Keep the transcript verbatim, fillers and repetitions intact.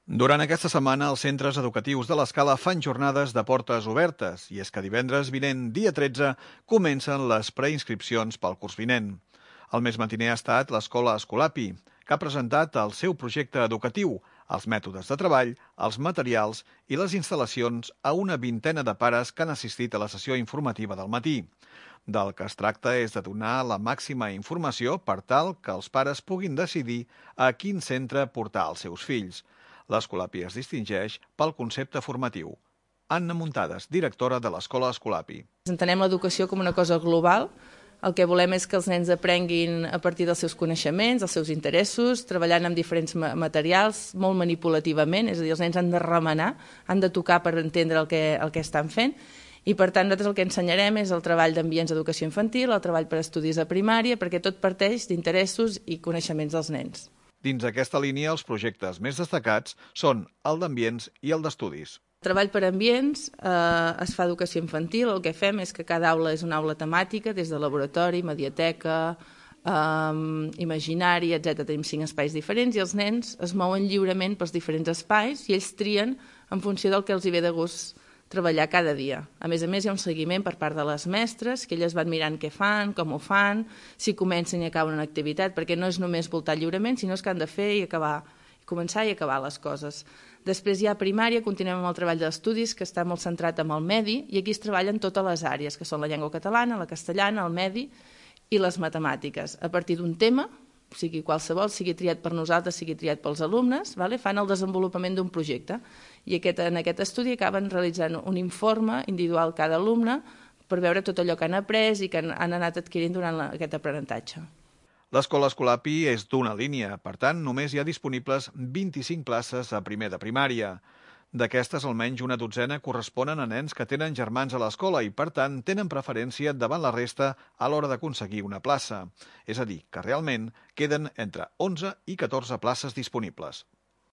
Durant aquesta setmana, els centres educatius de l'Escala fan jornades de portes obertes i és que divendres vinent, dia tretze, comencen les preinscripcions pel curs vinent. El més matiner ha estat l'Escola Escolapi, que ha presentat el seu projecte educatiu, els mètodes de treball, els materials i les instal·lacions a una vintena de pares que han assistit a la sessió informativa del matí. Del que es tracta és de donar la màxima informació per tal que els pares puguin decidir a quin centre portar els seus fills. L'Escolapi es distingeix pel concepte formatiu. Anna Muntades, directora de l'Escola Escolapi. Entenem l'educació com una cosa global. El que volem és que els nens aprenguin a partir dels seus coneixements, dels seus interessos, treballant amb diferents materials, molt manipulativament, és a dir, els nens han de remenar, han de tocar per entendre el que, el que estan fent, i per tant nosaltres el que ensenyarem és el treball d'ambients d'educació infantil, el treball per estudis a primària, perquè tot parteix d'interessos i coneixements dels nens. Dins aquesta línia, els projectes més destacats són el d'ambients i el d'estudis. El treball per ambients eh, es fa educació infantil. El que fem és que cada aula és una aula temàtica, des de laboratori, mediateca, eh, imaginari, etcètera. Tenim cinc espais diferents i els nens es mouen lliurement pels diferents espais i ells trien en funció del que els hi ve de gust treballar cada dia. A més a més, hi ha un seguiment per part de les mestres, que elles van mirant què fan, com ho fan, si comencen i acaben una activitat, perquè no és només voltar lliurement, sinó que han de fer i acabar, començar i acabar les coses. Després hi ha primària, continuem amb el treball d'estudis, que està molt centrat en el medi, i aquí es treballen totes les àrees, que són la llengua catalana, la castellana, el medi i les matemàtiques. A partir d'un tema, sigui qualsevol, sigui triat per nosaltres, sigui triat pels alumnes, vale? Fan el desenvolupament d'un projecte. I aquest, en aquest estudi acaben realitzant un informe individual cada alumne per veure tot allò que han après i que han, han anat adquirint durant la, aquest aprenentatge. L'Escola Escolapi és d'una línia, per tant, només hi ha disponibles vint-i-cinc places a primer de primària. D'aquestes, almenys una dotzena corresponen a nens que tenen germans a l'escola i, per tant, tenen preferència davant la resta a l'hora d'aconseguir una plaça. És a dir, que realment queden entre onze i catorze places disponibles.